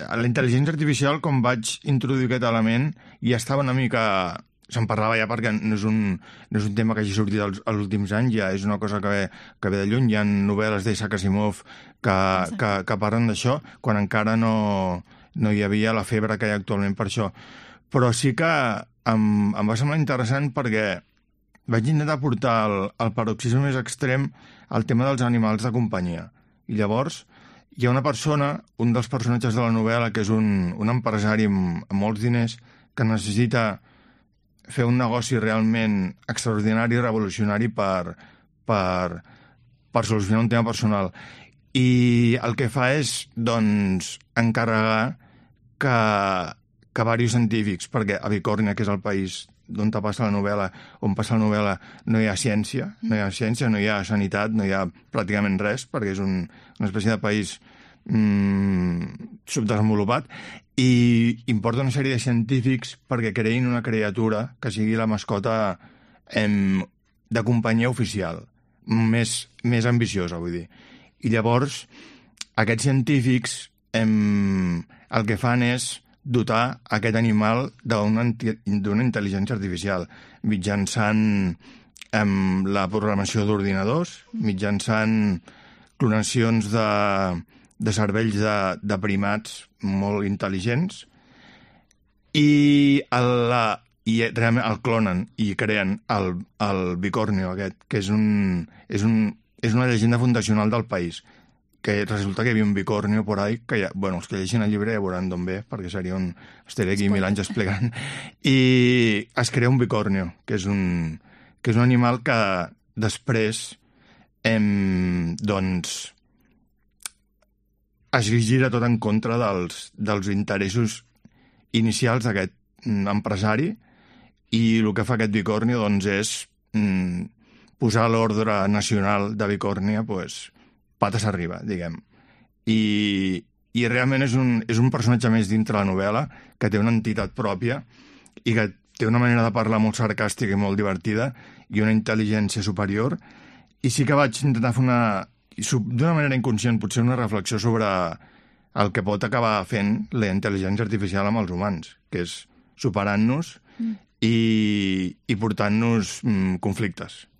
la intel·ligència artificial, com vaig introduir aquest element, ja estava una mica... Se'n parlava ja perquè no és un tema que hagi sortit als últims anys, ja és una cosa que ve de lluny. Hi ha novel·les d'Isaac Asimov que parlen d'això, quan encara no hi havia la febre que hi ha actualment per això. Però sí que em va semblar interessant perquè vaig intentar portar al paroxisme més extrem el tema dels animals de companyia. I llavors hi ha una persona, un dels personatges de la novel·la, que és un empresari amb molts diners, que necessita fer un negoci realment extraordinari i revolucionari per solucionar un tema personal. I el que fa és, doncs, encarregar que diversos científics, perquè a Bicòrnia, que és el país on passa la novel·la, no hi ha ciència, no hi ha sanitat, no hi ha pràcticament res, perquè és una espècie de país subdesenvolupat, i importa una sèrie de científics perquè creïn una criatura que sigui la mascota de companyia oficial, més ambiciosa, vull dir. I llavors, aquests científics el que fan és dotar aquest animal d'una intel·ligència artificial mitjançant la programació d'ordinadors, mitjançant clonacions de cervells de primats molt intel·ligents, i realment el clonen i creen el Bicornio aquest, que és una llegenda fundacional del país, que resulta que hi havia un bicornio por ahí, que els que llegeixin el llibre ja veuran d'on ve, perquè seria estaria aquí 1000 anys explicant, i es crea un bicornio, que és un animal que després doncs es gira tot en contra dels interessos inicials d'aquest empresari, i el que fa aquest bicornio doncs és posar l'ordre nacional de Bicòrnia pates arriba, diguem. I realment és un personatge més dintre la novel·la, que té una entitat pròpia i que té una manera de parlar molt sarcàstica i molt divertida i una intel·ligència superior. I sí que vaig intentar fer d'una manera inconscient, potser una reflexió sobre el que pot acabar fent la intel·ligència artificial amb els humans, que és superant-nos i portant-nos conflictes.